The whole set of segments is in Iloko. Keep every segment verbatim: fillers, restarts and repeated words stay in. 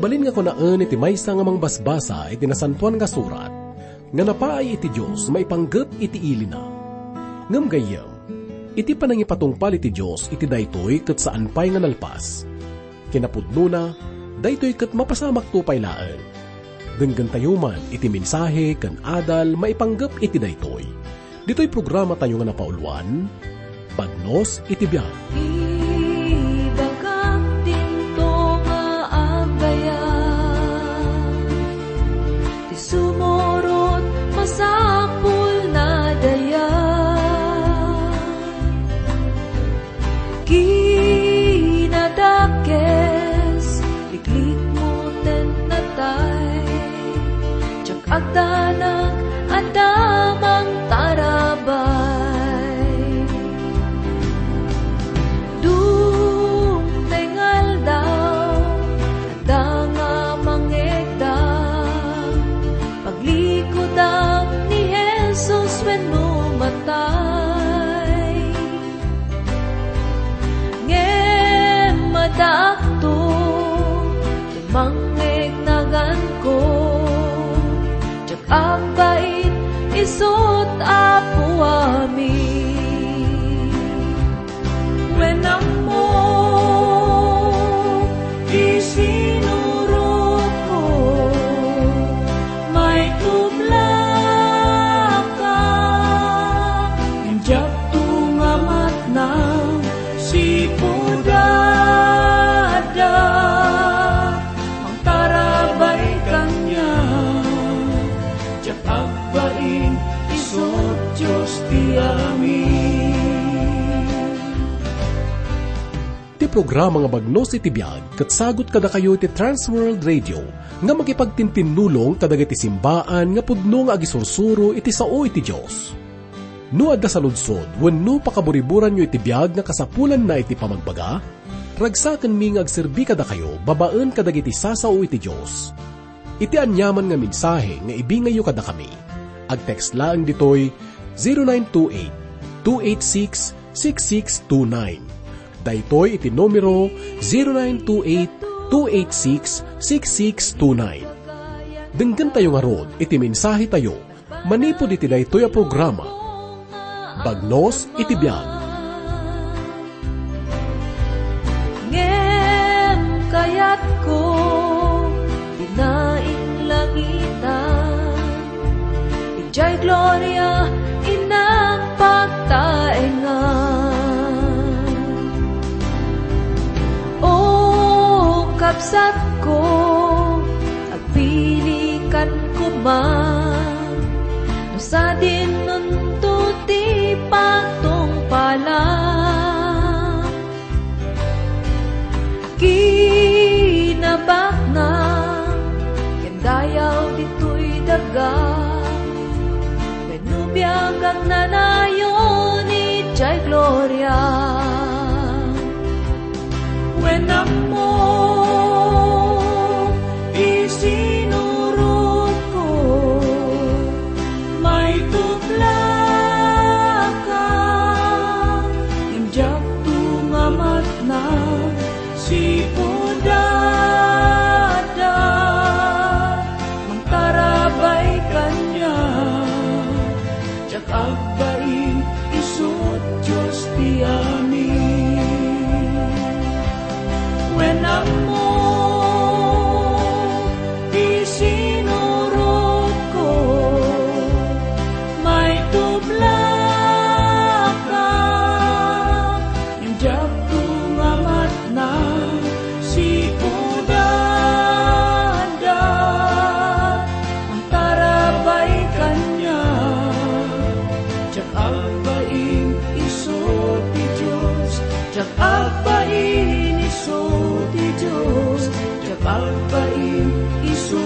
Balin nga kunaen iti maysa nga mangbasbasa iti Nasantoan nga Surat, nga napaay iti Dios maipanggep iti ilina. Ngem gayyem, iti panangipatungpal iti Dios iti daytoy ket saan pay nga nalpas. Kinapudnona, daytoy ket mapasamakto pay laeng. Denggentayo man iti mensahe ken adal maipanggep iti daytoy. Ditoy programatayo nga napauluan, Bagnos iti Biag. Ibagak dinto nga agayam, ti sumurot masapul na dayag. Kinadakes, liklikmo ten natay. Diak agdanag adda mangtarabay. Dumteng aldaw, adda nga mangegda. Paglikudan ni Jesus wenno matay. Ngem addaakto, ti mangngegnaganko. Diak agbain isut' Apo amin. Wen ammo ti sinurotko, maitublaka. Ngem diakto nga matnang sipud adda mangtarabay kaniak. Diak agbain isut' Dios ti amin. Ti programa nga Bagnos iti Biag ket sagut kadakayo iti Trans World Radio nga makipagtintinnulong kadagiti simbaan nga pudno nga agisursuro iti sao iti Dios. No adda saludsod wenno pakaburiburanyo iti biag nga kasapulanna iti pamagbaga, ragsakenmi nga agserbi kadakayo babaen kadagiti sasao iti Dios. Iti aniaman nga mensahe nga ibingayyo kadakami, agtext laeng ditoy zero nine two eight, two eight six, six six two nine. Daytoy iti numero zero nine two eight, two eight six, six six two nine. Denggentayo ngarud iti mensahetayo manipud iti daytoy a programa, Bagnos iti Biag. Ngem kayatko, dinaing langitan, idiay gloria innak pagtaengan. O kabsatko, agpilikan koma, no sadinonto ti patungpalan. Kinabaknang ken dayaw ditoy daga, wenno biag agnanayon idiay gloria. Wen ammo ti sinurotko, maitublaka, ngem diakto nga matnang sipud adda mangtarabay kaniak. Diak agbain isut' Dios ti amin. Wen ammo ti sinurotko, maitublaka, ngem diakto nga matnang sipud adda mangtarabay kaniak. Diak agbain isu ti Dios, diak agbain isu ti Dios, diak agbain isu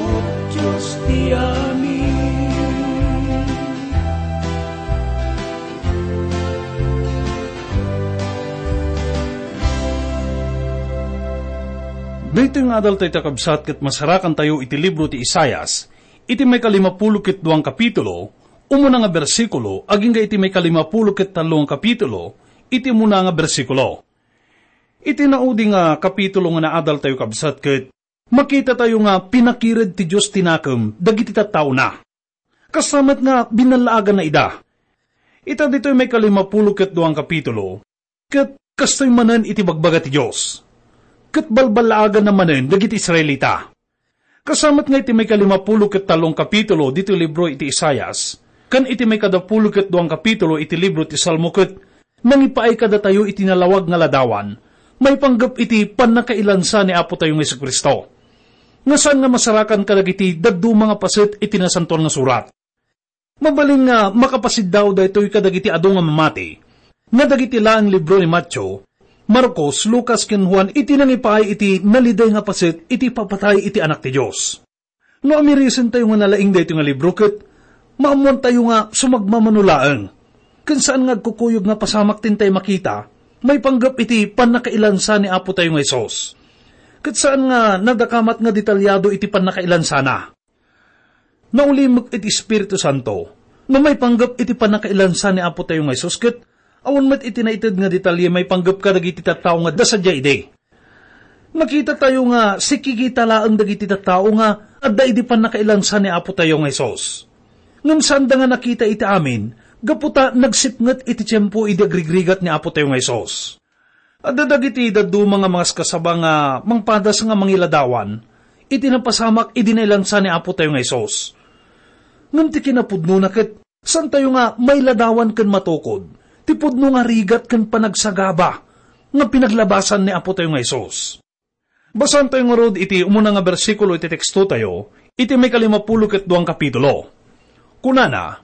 Dios ti amin. Daytoy nga adal tayo, kakabsat, ket masarakantayo iti libro ti Isaias, iti maikalimapulo ket duang kapitulo, umuna nga bersikulo, agingga iti maikalimapulo ket tallo nga kapitulo, iti umuna nga bersikulo. Iti naudi nga kapitulo nga naadal tayo, kabsat, ket Makitatayo nga pinakired ti Dios ti nakem dagiti tattaona. Kasta met nga binallaaganna ida. Ita ditoy maikalimapulo ket duang kapitulo, ket kastoy manen iti bagbaga ti Dios. Ket balballaaganna manen dagiti Israelita. Kasta met nga iti maikalimapulo ket tallong kapitulo ditoy libro iti Isaias, ken iti maikadapulo ket duang kapitulo iti libro ti Salmo ket nangipaay kadatayo iti nalawag nga ladawan, maipanggep iti pannakailansa ni Apo tayo nga Jesu-Cristo. Nga saan nga masarakan kadagiti dadduma nga paset iti Nasantoan nga Surat. Mabalin nga makapasiddaw daytoy kadagiti adu nga mamati, nga dagiti laeng libro ni Mateo, Marcos, Lucas, ken Juan iti nangipaay iti naliday nga paset iti papatay iti Anak ti Dios. No amirisentayo nga nalaing daytoy nga libro ket maammoantayo nga sumagmamano laeng, ken saan nga agkukuyog nga pasamak ti intay makita, maipanggep iti pannakailansa ni Apo tayo nga Jesus. Ket saan nga nadakamat nga detalyado iti pannakailansana. Naulimek iti Espiritu Santo no maipanggep iti pannakailansa ni Apo tayo nga Jesus ket awan met iti naited nga detalye maipanggep kadagiti tattao nga adda sadiay idi. Nakita tayo nga sikikita laeng dagiti tattao nga adda idi pannakailansa ni Apo tayo nga Jesus. Ngem saanda nga nakita iti amin gapu ta nagsipnget iti tiempo idi agrigrigat ni Apo tayo nga Jesus. Adda dagiti dadduma nga mangaskasaba nga mangpadas nga mangiladawan iti napasamak idi nailansa ni Apo tayo nga Jesus. Ngem ti kinapudnona ket saantayo nga mailadawan ken matukod ti pudno nga rigat ken panagsagaba nga pinaglabasan ni Apo tayo nga Jesus. Basaantayo ngarud iti umuna nga bersikulo iti tekstotayo iti maikalimapulo ket duang kapitulo. Kunana,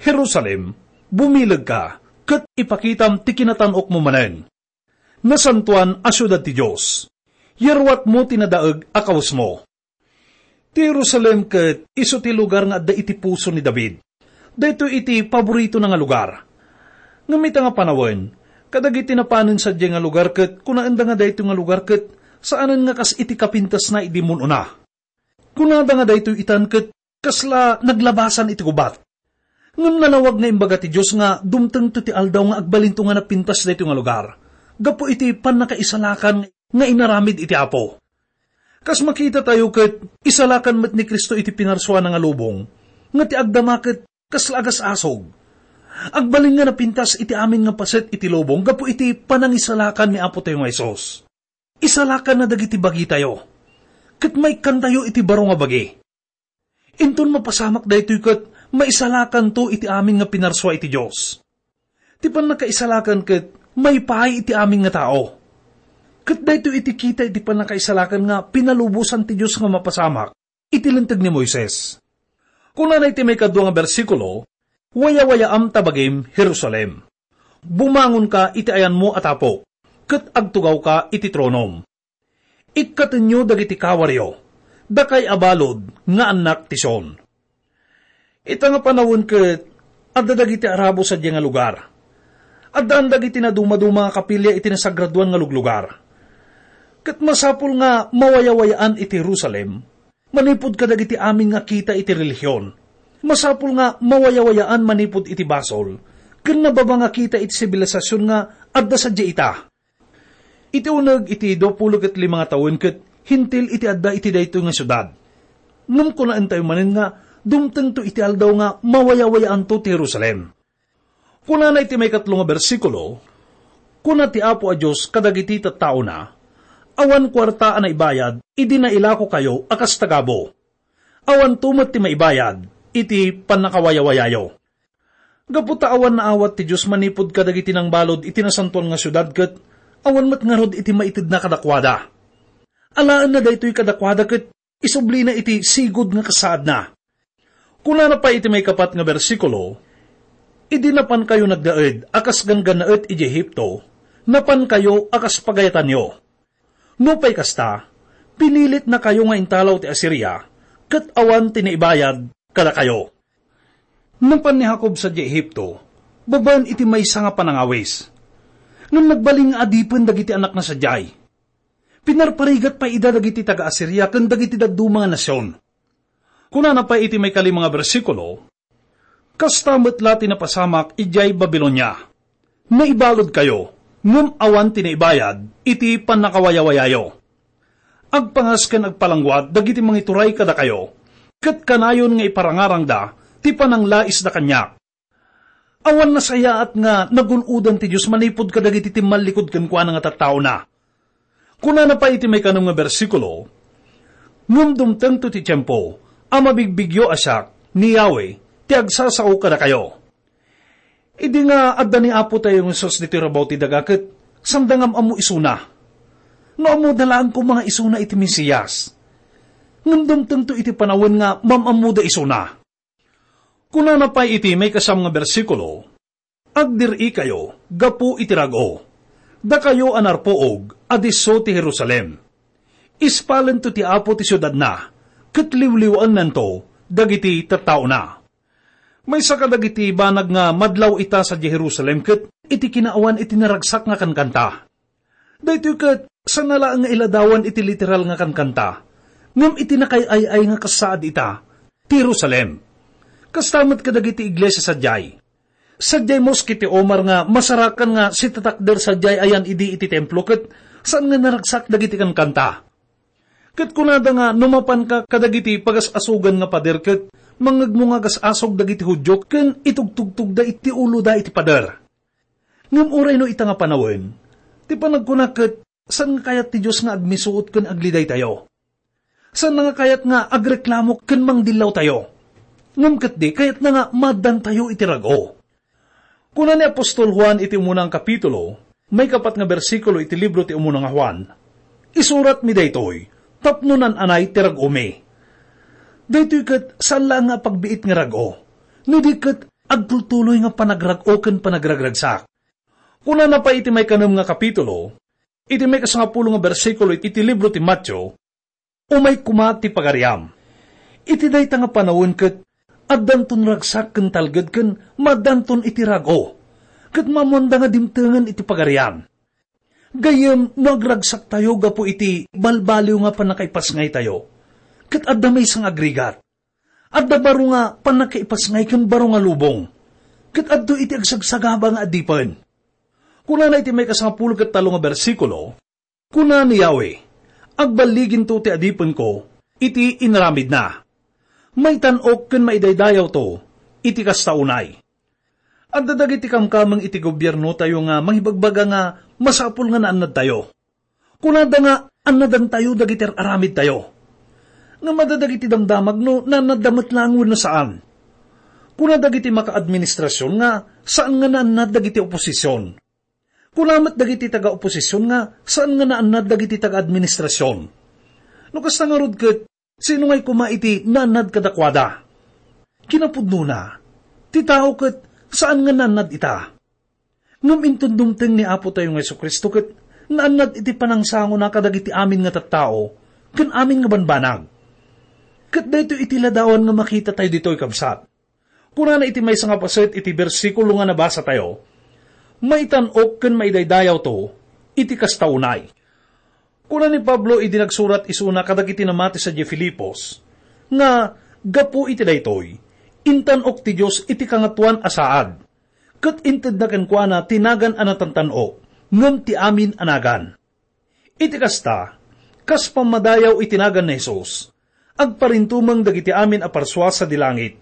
"Jerusalem, bumilegka, ket ipakitam ti kinatan-okmo manen. Nasantoan a siudad ti Dios. Yaruatmo ti nadaeg a kawesmo." Ti Jerusalem ket isu ti lugar nga adda iti puso ni David. Daytoy iti paboritona nga lugar. Ngem ita nga panawen, kadagiti napanen sadiay nga lugar ket kunaenda nga daytoy nga lugar ket saanen nga kas iti kapintasna idi mun-ona. Kunada nga daytoy itan ket kasla naglabasan iti gubat. Ngem nalawag nga imbaga ti Dios nga dumtengto ti aldaw nga agbalinto nga napintas daytoy nga lugar gapu iti pannakaisalakan nga inaramid iti Apo. Kas makitatayo ket, isalakan met ni Cristo iti pinarsuana nga lubong, nga ti agdama ket kasla agas-asog. Agbalin nga napintas iti amin nga paset iti lubong gapu iti panangisalakan ni Apo tayo nga Jesus. Isalakanna dagiti bagitayo, ket maikkantayo iti baro nga bagi. Inton mapasamak daytoy ket maisalakanto iti amin nga pinarsua iti Dios. Ti pannakaisalakan ket maipaay iti amin nga tao. Ket daytoy iti kita iti pannakaisalakan nga pinalubosan ti Dios nga mapasamak iti Linteg ni Moises. Kunana iti maikadua nga bersikulo, "Wayawayaam ta bagim, Jerusalem. Bumangonka iti ayanmo a tapok, ket agtugawka iti tronom. Ikkatenyo dagiti kawaryo, dakay a balud nga annak ti Sion." Ita nga panawen ket adda dagiti Arabo sadiay nga lugar. Addaan dagiti nadumaduma nga kapilya iti nasagradoan nga luglugar. Ket masapul nga mawayawayaan iti Jerusalem manipud kadagiti amin nga kita iti relihion. Masapul nga mawayawayaan manipud iti basol ken nababa nga kita iti sibilisasyon nga adda sadiay ita. Iti uneg iti duapulo ket lima nga tawen ket Hentil iti adda iti daytoy nga siudad. Ngem kunaentayo manen nga dumtengto iti aldaw nga mawayawayaanto ti Jerusalem. Kunana iti maikatlo nga bersikulo, "Kuna ti Apo a Dios kadagiti tattaona, 'Awan kuarta a naibayad idi nailakokayo a kas tagabu. Awanto met ti maibayad iti pannakawayawayayo.'" Gapu ta awan naawat ti Dios manipud kadagiti nangbalud iti nasantoan nga siudad ket awan met ngarud iti maitedna kadakuada. Alaenna daytoy kadakuada ket isublina iti sigud nga kasaadna. Kunana pay iti maikapat nga bersikulo, "Idi napankayo nagnaed a kas ganggannaet idiay Egipto, napankayo a kas pagayatanyo. Nupay kasta, pinilitnakayo nga intalaw ti Asiria, ket awan ti naibayad kadakayo." Napan ni Jacob sadiay Egipto, babaen iti maysa nga panangawis. Ngem nagbalin nga adipen dagiti annakna sadiay. Pinarparigat pay ida dagiti taga-Asiria ken dagiti dadduma nga nasion. Kunana pay iti maikalima nga bersikulo, "Kasta met la ti napasamak idiay Babilonia. Naibaludkayo, ngem awan ti naibayad iti pannakawayawayayo. agpangas ken agpalangguad dagiti mangituray kadakayo, ket kanayon nga iparangarangda ti pananglaisda kaniak. Awan nasayaat nga nagun-odan ti Dios manipud kadagiti timmallikud kenkuana nga tattaona. Kunana pay iti maikanem nga bersikulo, "Ngem dumtengto ti tiempo a mabigbigyo a siak, ni Yahweh, ti agsasao kadakayo." Idi nga adda ni Apo tayo nga Jesus ditoy rabaw ti daga ket sanda nga am-ammo isuna. No ammoda laeng koma nga isuna iti Mesias. Ngem dumtengto iti panawen nga mam-ammoda isuna. Kunana pay iti maikasam nga bersikulo, "Agdir-ikayo gapu iti rag-o, dakayo a narpuog a disso ti Jerusalem. Ispalento ti Apo ti siudadna, ket liwliwaennanto dagiti tattaona." Maysa kadagiti banag nga madlaw ita sadiay Jerusalem ket iti kinaawan iti naragsak nga kankanta. Daytoy ket, saan a laeng nga iladawan iti literal nga kankanta, ngem iti nakay-ay-ay nga kasaad ita, ti Jerusalem. Kasta met kadagiti iglesia sadiay. Sadiay Mosque ti Omar nga masarakan nga sitatakder sadiay ayan idi iti templo ket saan nga naragsak dagiti kankanta. Ket kunada nga no mapanka kadagiti pagas-asogan nga pader ket mangngegmo nga agas-asog dagiti Judio ken itugtugtogda iti uloda iti pader. Ngem uray no ita nga panawen, ti panagkuna ket saan nga kayat ti Dios nga agmisuot ken aglidaytayo. Saan nga kayat nga agreklamo ken mangdillawtayo. Ngem ket di, kayatna nga maaddantayo iti rag-o. Kuna ni apostol Juan iti umuna nga kapitulo, maikapat nga bersikulo iti libro ti umuna nga Juan, "Isuratmi daytoy tapno naan-anay ti rag-omi." Daytoy ket saan laeng nga apagbiit nga rag-o, no di ket agtultuloy nga panagrag-o ken panagragragsak. Kunana pay iti maikanem nga kapitulo, iti maikasangapulo nga bersikulo iti libro ti Mateo, "Umay koma ti pagariam." Iti dayta nga panawen ket addanton ragsak ken talged ken maaddanton iti rag-o, ket maammoanda nga dimtengen iti pagarian. Gayyem, no agragsaktayo gapu iti balbaliw nga pannakaipasngaytayo, ket adda maysa nga agrigat. Adda baro nga pannakaipasngay ken baro nga lubong, ket adtoy iti agsagsagaba nga adipen. Kunana iti maikasangapulo ket tallo nga bersikulo, kuna ni Yahweh, "Agballiginto ti adipenko iti inaramidna. Maitan-ok ken maidaydayawto iti kasta unay." Adda dagiti kamkameng iti gobiernotayo nga mangibagbaga nga masapul nga naannadtayo. Kunada nga annadantayo dagiti ar-aramidtayo. Ngem adda dagiti damdamag no naannadda met laeng wenno saan. Kuna dagiti makaadministrasion nga saan nga naannad dagiti oposision. Kuna met dagiti taga-oposision nga saan nga naannad dagiti taga-administrasion. No kasta ngarud ket, sino ngay koma iti naannad kadakuada? Kinapudnona, ti tao ket saan nga naannad ita. Ngem inton dumteng ni Apo tayo nga Jesu-Cristo ket naannad iti panangsangona kadagiti amin nga tattao ken amin nga banbanag. Ket daytoy iti ladawan nga makitatayo ditoy, kabsat. Kunana iti maysa nga paset iti bersikulo nga nabasatayo, "Maitan-ok ken maidaydayawto iti kasta unay." Kuna ni Pablo idi nagsurat isuna kadagiti namati sadiay Filipos, nga gapu iti daytoy, intan-ok ti Dios iti Kangatoan a saad, ket intedna kenkuana ti nagan a natantan-ok ngem ti amin a nagan. Iti kasta, kas pammadayaw iti nagan ni Jesus, agparintumeng dagiti amin a parsua sadi langit,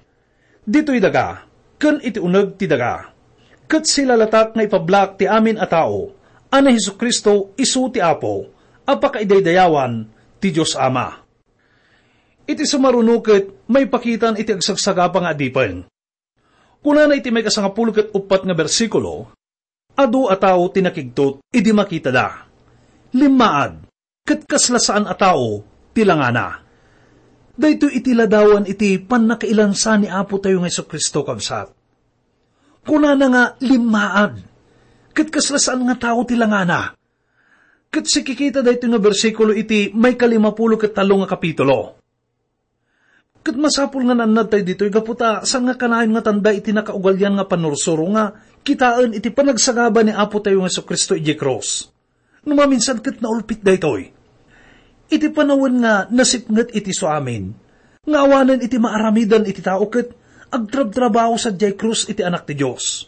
ditoy daga, ken iti uneg ti daga. Ket silalatak nga ipablaak ti amin a tao a ni Jesu-Cristo isu ti Apo a pakaidaydayawan ti Dios Ama. Iti sumaruno ket maipakitan iti agsagsagaba nga adipen. Kunana iti maikasangapulo ket uppat nga bersikulo, "Adu a tao ti nakigtot idi makitada. Limmaad, ket kasla saan a tao ti langana." Daytoy iti ladawan iti pannakailansa ni Apo tayo nga Jesu-Cristo, kabsat. Kunana nga limmaad, ket kasla saan nga tao ti langana. Ket sikikita daytoy nga bersikulo iti maikalimapulo ket tallo nga kapitulo. Ket masapul nga naannad tayo ditoy gapu ta saan nga kanayon nga tanda iti nakaugalian nga pannursuro nga kitaen iti panagsagaba ni Apo tayo nga Jesu-Cristo idiay krus. No maminsan ket naulpit daytoy. Iti panawen nga nasipnget iti suamin, nga awanen iti maaramidan iti tao ket agtrabtrabaho sadiay krus iti Anak ti Dios.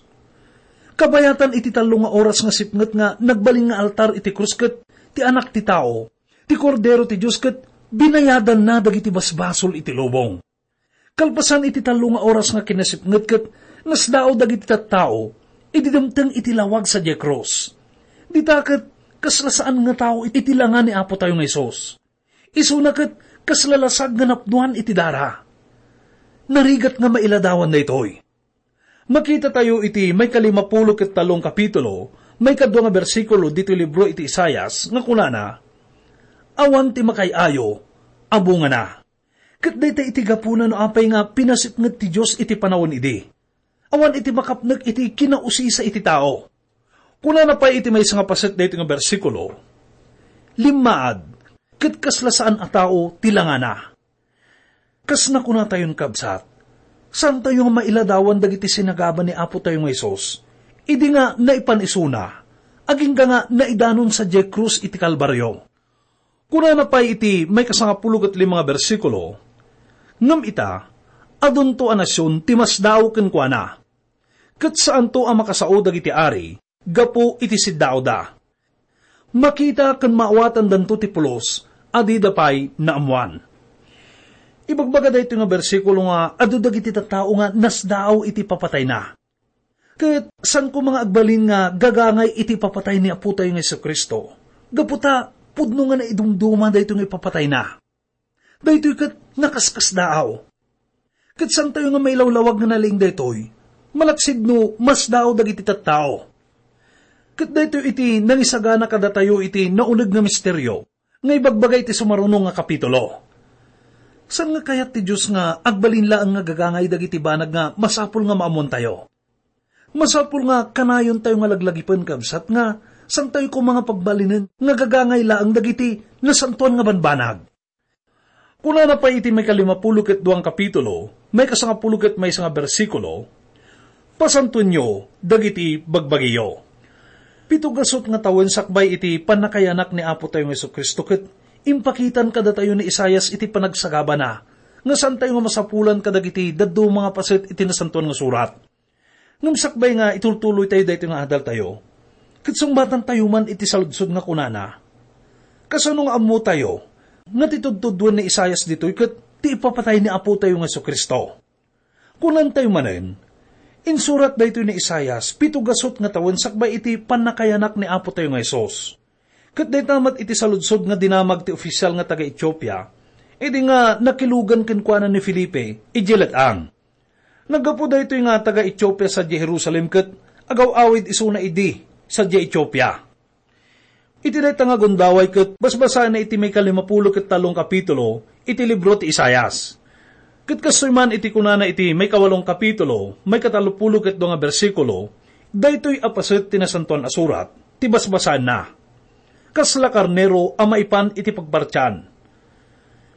Kabayatan iti tallo nga oras nga sipnget nga nagbalin nga altar iti krus ket ti Anak ti Tao, Ti Kordero ti Dios ket binayadanna dagiti basbasol iti lubong. Kalpasan iti tallo nga oras nga kinasipnget ket nasdaaw dagiti tattao idi dimteng iti lawag sadiay krus. Dita ket kasla saan nga tao iti langa ni Apo tayo nga Jesus. Isuna ket kasla lasag nga napnuan iti dara. Narigat nga mailadawan daytoy. Makita tayo iti maikalimapulo ket tallo nga kapitulo, maikadua nga bersikulo ditoy libro iti Isaias nga kunana, "Awan ti makaay-ayo a bungana." Ket dayta iti gapuna no apay nga pinasipnget ti Dios iti panawen idi. Awan iti makapnek iti kinausisa iti tao. Kunana pay iti maysa nga paset daytoy nga bersikulo, "Limmaad, ket kasla saan a tao ti langana." Kas nakunatayon, kabsat, saantayo nga mailadawan dagiti sinagaba ni Apo tayo nga Jesus, idi nga naipan isuna, agingga nga naidanon sadiay krus iti Kalbario. Kunana pay iti maikasangapulo ket lima nga bersikulo, "Ngem ita, adunto a nasion ti masdaaw kenkuana, ket saanto a makasao dagiti ari gapu iti siddaawda. Makita ken maawatandanto ti pulos a dida pay naammoan." Ibagbaga daytoy nga bersikulo nga adu dagiti tattao nga nasdaaw iti papatayna. Ket saan koma nga agbalin nga gagangay iti papatay ni Apo tayo nga Jesu-Cristo, gapu ta pudno nga naidumduma daytoy nga ipapatayna. Daytoy ket nakaskasdaaw. Ket saantayo nga mailawlawag nga nalaing daytoy, malaksid no masdaaw dagiti tattao. Ket daytoy iti nangisagana kadatayo iti nauneg nga misterio nga ibagbaga iti sumaruno nga kapitulo. Saan nga kayat ti Dios nga agbalin laeng nga gagangay dagiti banag nga masapul nga maammoantayo? Masapul nga kanayontayo nga laglagipen, kabsat, nga saantayo koma nga pagbalinen nga gagangay laeng dagiti nasantoan nga banbanag. Kunana pay iti maikalimapulo ket dua nga kapitulo, maikasangapulo ket maysa nga bersikulo, "Pasantoenyo dagiti bagbagiyo." Pito gasut nga tawen sakbay iti pannakayanak ni Apo tayo nga Jesu-Cristo ket impakitan kadatayo ni Isaias iti panagsagabana nga saantayo nga masapulan kadagiti dadduma nga paset iti Nasantoan nga Surat. Ngem sakbay nga itultuloytayo daytoy nga adaltayo, ket sungbatantayo man iti saludsod nga kunana, kasano nga ammotayo nga ti tudtuduen ni Isaias ditoy ket ti ipapatay ni Apotayo nga Jesu-Cristo? Kunantayo manen, insurat daytoy ni Isaias pito gasut nga tawen sakbay iti pannakayanak ni Apotayo nga Jesus. Ket dayta met iti saludsod nga dinamag ti ofisial nga taga-Etiopia, idi nga nakilugan kenkuana ni Felipe idiay let-ang. Naggapu daytoy nga taga-Etiopia sadiay Jerusalem ket agaw-awid isuna idi sadiay Etiopia. Iti dayta nga gundaway ket basbasaenna iti maikalimapulo ket tallo nga kapitulo iti libro ti Isaias. Ket kastoy man iti kunana iti maikawalo nga kapitulo, maikatallopulo ket dua nga bersikulo, daytoy a paset ti Nasantoan a Surat ti basbasaenna. Kasla karnero a maipan iti pagpartian.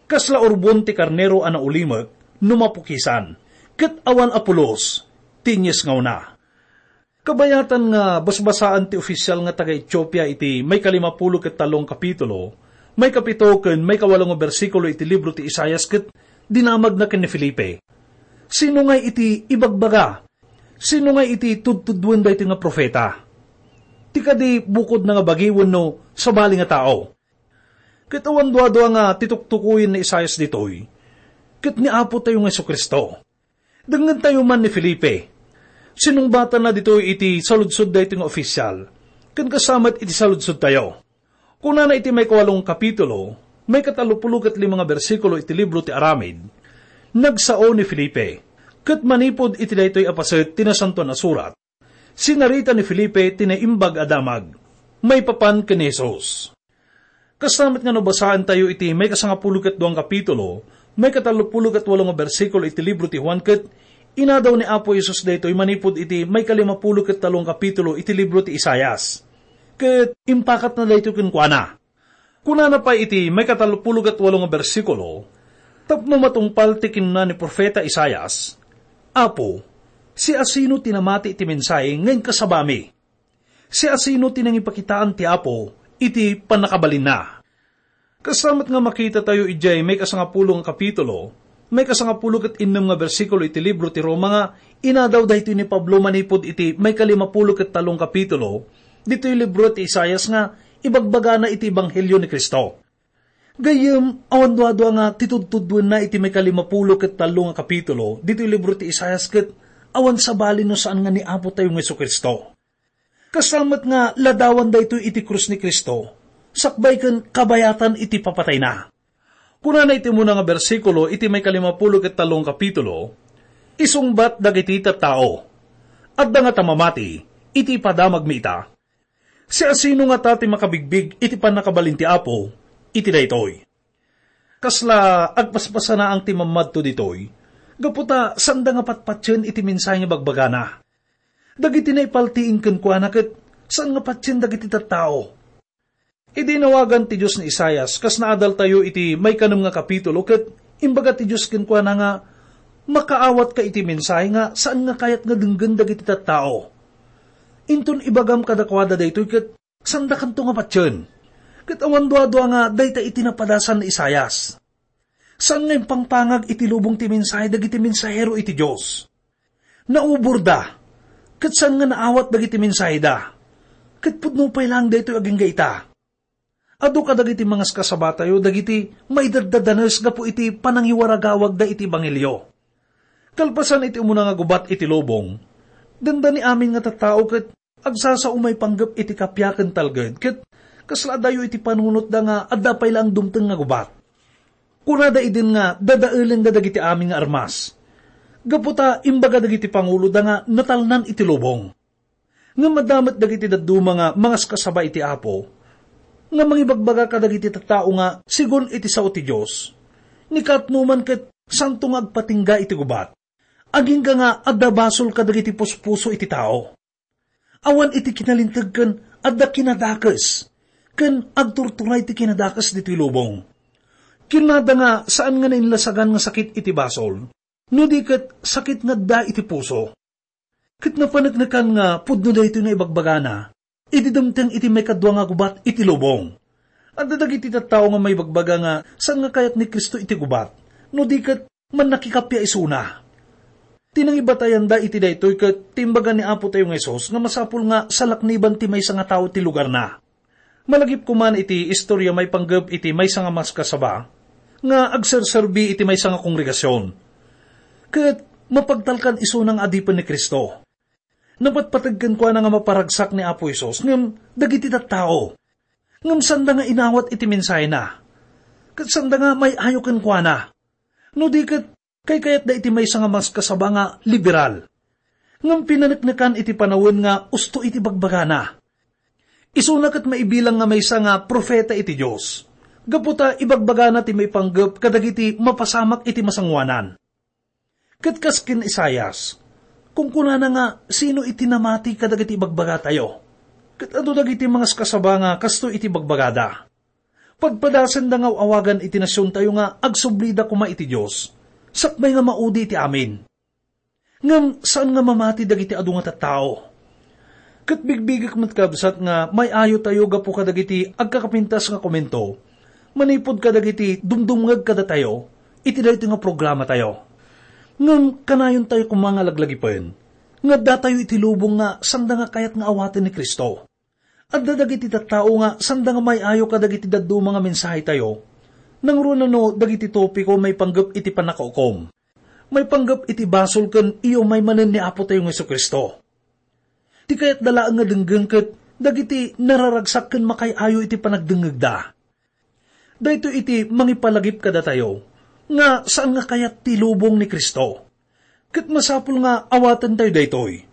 Kasla urbon ti karnero a naulimek no mapukisan, ket awan a pulos ti inyesngawna. Kabayatan nga basbasaan ti ofisial nga taga-Etiopia iti maikalimapulo ket tallo nga kapitulo, maikapito ken maikawalo nga bersikulo iti libro ti Isaias ket dinamagna ken ni Felipe. Sino ngay iti ibagbaga? Sino ngay iti tudtuduen daytoy nga profeta? Ti kadi bukodna nga bagi wenno sabali nga tao? Ket awan duadua nga ti tuktukoyen ni Isaias ditoy, ket ni Apotayo nga Jesu-Cristo. Dengngentayo man ni Felipe. Sinungbatanna ditoy iti saludsod daytoy nga ofisial, ken kasta met iti saludsodtayo. Kunana iti maikawalo nga kapitulo, maikatallopulo ket lima nga bersikulo iti libro ti Aramid, nagsao ni Felipe, ket manipud iti daytoy a paset ti Nasantoan a Surat, sinarita ni Felipe ti naimbag a damag maipapan ken ni Jesus. Kasta met nga no basaentayo iti maikasangapulo ket dua nga kapitulo, maikatallopulo ket walo nga bersikulo iti libro ti Juan, ket inadaw ni Apo Jesus daytoy manipud iti maikalimapulo ket tallo nga kapitulo iti libro ti Isaias. Ket impakatna daytoy kenkuana. Kunana pay iti maikatallopulo ket walo nga bersikulo, tapno matungpal ti kinuna ni profeta Isaias, "Apo, siasino ti namati iti mensahe nga inkasabami? Siasino ti nangipakitaan ti Apo iti pannakabalinna?" Kasta met nga makitatayo idiay maikasangapulo nga kapitulo, maikasangapulo ket innem nga bersikulo iti libro ti Roma nga inadaw daytoy ni Pablo manipud iti maikalimapulo ket tallo nga kapitulo ditoy libro ti Isaias nga ibagbagana iti ebanghelio ni Cristo. Gayyem, awan duadua nga ti tudtuddoenna iti maikalimapulo ket tallo nga kapitulo ditoy libro ti Isaias ket awan sabali no saan nga ni Apo tayo nga Jesu-Cristo. Kasta met nga ladawan daytoy iti krus ni Cristo, sakbay ken kabayatan iti papatayna. Kunana iti umuna nga bersikulo iti maikalimapulo ket tallo nga kapitulo, "Isungbat dagiti tattao, adda ngata mamati iti ipadamagmi ita. Siasino ngata ti makabigbig iti pannakabalin ti Apo iti daytoy?" Kasla agpaspasanaang ti mammadto ditoy, gapu ta sanda nga patpatien iti mensahe nga bagbagana. Dagiti naipaltiing kenkuana ket saan nga patien dagiti tattao. Idi inawagan ti Dios ni Isaias, kas naadaltayo iti maikanem nga kapitulo, ket imbaga ti Dios kenkuana nga makaawatka iti mensahe nga saan nga kayat nga denggen dagiti tattao. Inton ibagam kadakuada daytoy ket sandakanto nga patien. Ket awan duadua nga dayta iti napadasan ni Isaias. Saan nga impangpangag iti lubong ti mensahe dagiti mensahero iti Dios. Nauborda, ket saan nga naawat dagiti mensaheda. Ket pudno pay laeng daytoy agingga ita. Adu kadagiti mangaskasabatayo dagiti maidaddadanes gapu iti panangiwaragawagda iti ebanghelio. Kalpasan iti umuna nga gubat iti lubong, dandani amin nga tattao ket agsasao maipanggep iti kappia ken talged, ket kasla adayo iti panunotda nga adda pay laeng dumteng nga gubat. Kunada idin nga dadaelenda dagiti amin nga armas, gapu ta imbaga dagiti panguloda nga natalnan iti lubong. Ngem adda met dagiti dadduma nga mangaskasaba iti Apo, nga mangibagbaga kadagiti tattao nga segun iti sao ti Dios. Ni Katno man ket santo nga agpatingga iti gubat. Agingga nga adda basol kadagiti puspuso iti tao. Awan iti kinalinteg ken adda kinadakes, ken agturturay ti kinadakes ditoy lubong. Kinada nga saan nga nainlasagan nga sakit iti basol, no di ket sakit nga adda iti puso. Ket napaneknekan nga pudno daytoy nga ibagbagana, idi dumteng iti maikadua nga gubat iti lubong. Adda dagiti tattao nga maibagbaga nga saan nga kayat ni Cristo iti gubat, no di ket mannakikappia isuna. Ti nangibatayanda iti daytoy ket ti imbaga ni Apo tayo nga Jesus nga masapul nga salakniban ti maysa nga tao ti lugarna. Malagip koma iti istorya maipanggep iti maysa nga maskasaba nga agserserbi iti maysa nga kongregasion. Ket mapagtalkan isuna nga adipen ni Cristo. Napatpateg kenkuana nga maparagsak ni Apo Jesus ngem dagiti tattao. Ngem sanda nga inawat iti mensahena. Ket sanda nga may-ayo kenkuana. No di ket kaykayatda iti maysa nga maskasaba nga liberal. Ngem pinaneknekan iti panawen nga usto iti bagbagana. Isuna ket maibilang nga maysa nga profeta iti Dios, gapu ta ibagbagana ti maipanggep kadagiti mapasamak iti masangoanan. Ket kas ken Isaias, kunkunana nga sino iti namati kadagiti ibagbagatayo? Ket adu dagiti mangaskasaba nga kastoy iti bagbagada. Padpadasenda nga aw-awagan iti nasiontayo nga agsublida koma iti Dios, sakbay nga maudi iti amin. Ngem saan nga mamati dagiti adu nga tattao. Ket bigbigek met, kabsat, nga may-ayotayo gapu kadagiti agkakapintas nga komento manipud kadagiti dumdumngeg kadatayo iti daytoy nga programatayo. Ngem kanayontayo koma nga laglagipen nga addatayo iti lubong nga sanda nga kayat nga awaten ni Cristo. Adda dagiti tattao nga sanda nga may-ayo kadagiti dadduma nga mensahetayo, nangruna no dagiti topiko maipanggep iti pannakaukom, maipanggep iti basol ken iumay manen ni Apo tayo nga Jesu-Cristo. Ti kayatda laeng nga denggen ket dagiti nararagsak ken makay-ayo iti panagdengngegda. Daytoy iti mangipalagip kadatayo nga saan nga kayat ti lubong ni Cristo. Ket masapul nga awatentayo daytoy.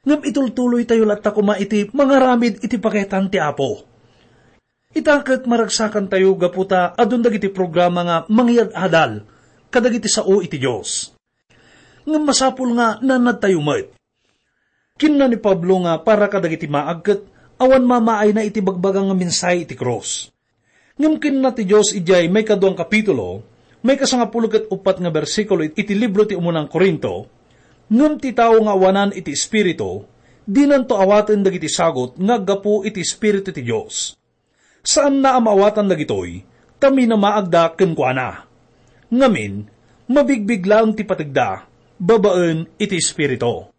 Ngem itultuloytayo latta koma iti mangaramid iti pakayatan ti Apo. Ita ket maragsakantayo gapu ta adun dagiti programa nga mangyad-adal kadagiti sao iti Dios. Ngem masapul nga naannadtayo met. Kinuna ni Pablo nga para kadagiti maag ket awan mamaayna iti bagbaga nga mensahe iti krus. Ngem kinuna ti Dios idiay maikaduang kapitulo, maikasangapulo ket uppat nga bersikulo iti libro ti Umunan Corinto, "Ngem ti tao nga awanan iti Espiritu, dinanto awaten dagiti sagut nga aggapu iti Espiritu ti Dios. Saanna a maawatan dagitoy, ta minamaagda kenkuana. Ngamin, mabigbig laeng ti pategda, babaen iti Espiritu."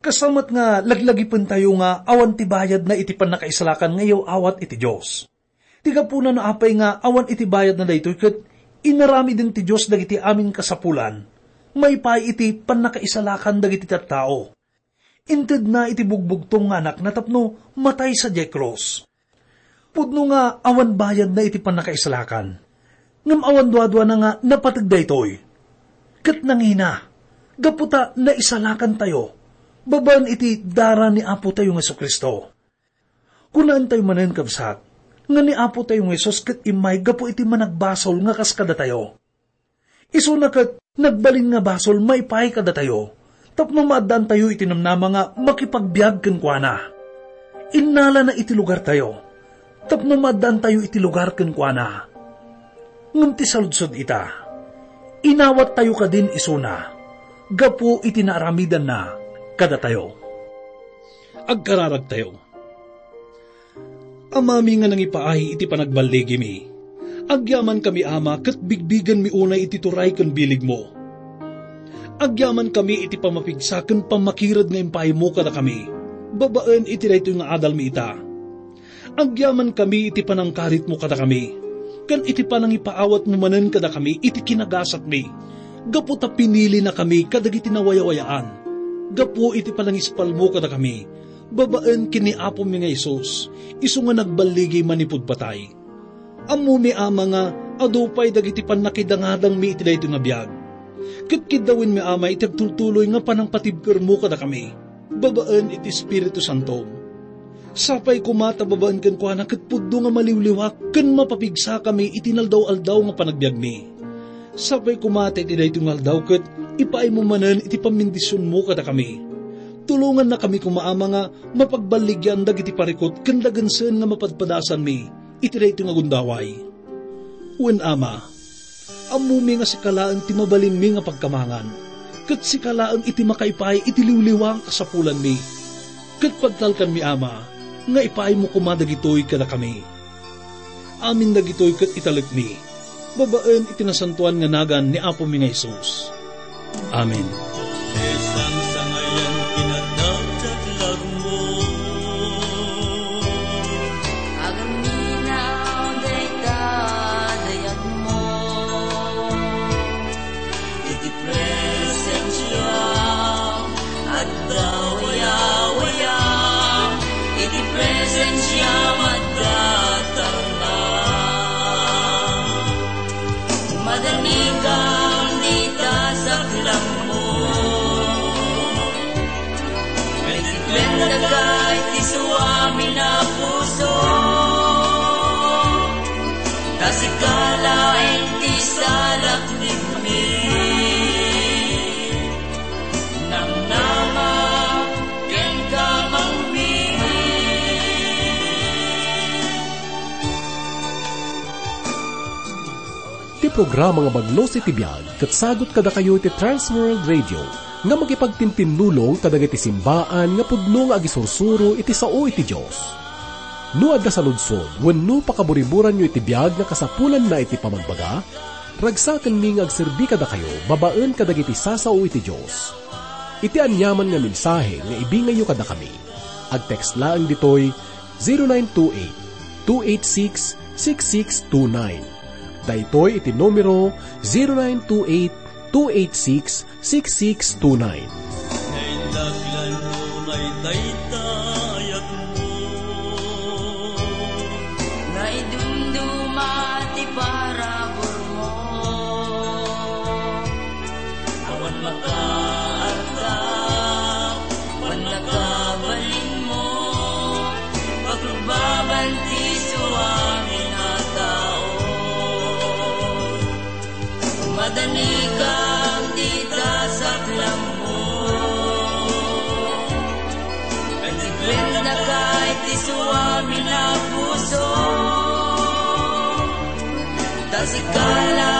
Kasta met nga laglagipentayo nga awan ti bayadna iti pannakaisalakan nga iyaw-awat iti Dios. Ti gapuna no apay nga awan iti bayadna daytoy ket inaramiden ti Dios dagiti amin kasapulan, maipaay iti pannakaisalakan dagiti tattao. Intedna iti bugbugtong nga Anakna tapno matay sadiay krus. Pudno nga awan bayadna iti pannakaisalakan, ngem awan duaduana nga napateg daytoy. Ket nangina, gapu ta naisalakantayo babaen iti dara ni Apotayo nga Jesu-Cristo. Kunaentayo manen, kabsat, nga ni Apotayo nga Jesus ket immay gapu iti managbasol nga kas kadatayo. Isuna ket nagbalin nga basol maipaay kadatayo tapno maaddaantayo iti namnama nga makipagbiag kenkuana. Innalana iti lugartayo tapno maaddaantayo iti lugar kenkuana. Ngem ti saludsod ita, inawattayo kadin isuna gapu iti naaramidanna kadatayo? Agkararagtayo. Amami nga nangipaay iti panagballigimi, agyamankami, Ama, ket bigbigenmi unay iti turay ken biligmo. Agyamankami iti pammapigsa ken pammakired nga impaaymo kadakami babaen iti daytoy nga adalmi ita. Agyamankami iti panangkaritmo kadakami ken iti panangipaawatmo manen kadakami iti kinagasatmi, gapu ta pinilinakami kadagiti nawayawayaan gapu iti panangispalmo kadakami babaen ken ni Apomi nga Jesus, isu nga nagballigi manipud patay. Ammomi, Ama, nga adu pay dagiti pannakidangadangmi iti daytoy nga biag. Ket kiddawenmi, Ama, iti agtultuloy nga panangpatibkermo kadakami babaen iti Espiritu Santo. Sapay koma ta babaen kenkuana ket pudno nga maliwliwak ken mapapigsakami iti naldaw-aldaw nga panagbiagmi. Sapay koma ta iti daytoy nga aldaw ket ipaaymo manen iti pammendisionmo kadakami. Tulongannakami koma, Ama, nga mapagballigian dagiti parikut ken dagensen nga mapadpadasanmi iti daytoy nga gundaway. Wen, Ama, ammomi nga sika laeng ti mabalinmi nga pagkamangan, ket sika laeng iti makaipaay iti liwliwa nga kasapulanmi. Ket pagtalkanmi, Ama, nga ipaaymo koma dagitoy kadakami. Amin dagitoy ket italekmi babaen iti nasantoan nga nagan ni Apomi nga Jesus. Amen. Sangsangayan kinadakdaklarmo. Agaminaw dayta dayagmo. Iti presensiam adda wayawaya. Iti presensiam adda tarna. Madanikam dita saklangmo. Maitiklen daka iti suamin a puso. Ta sika laeng ti salaknibmi. Namnama ken kamangmi. Ti programa nga Bagnos iti Biag ket sagut kadakayo iti Trans World Radio nga makipagtintinnulong kadagiti simbaan nga pudno nga agisursuro iti sao iti Dios. No adda saludsod wenno pakaburiburanyo iti biag nga kasapulanna iti pamagbaga, ragsakenmi nga agserbi kadakayo babaen kadagiti sasao iti Dios. Iti aniaman nga mensahe nga ibingayyo kadakami, agtext laeng ditoy zero nine two eight, two eight six, six six two nine. Daytoy iti numero, zero nine two eight, two eight six, six six two nine. Naindaklan mo, naitaytayakmo. Naidumduma ti paraburmo. Awan makaarta, pannakabalinmo, pagrubbaban ti suamin a tao. Madanikam dita saklangmo. Ket iplendaka iti suamin a puso. Ta sika la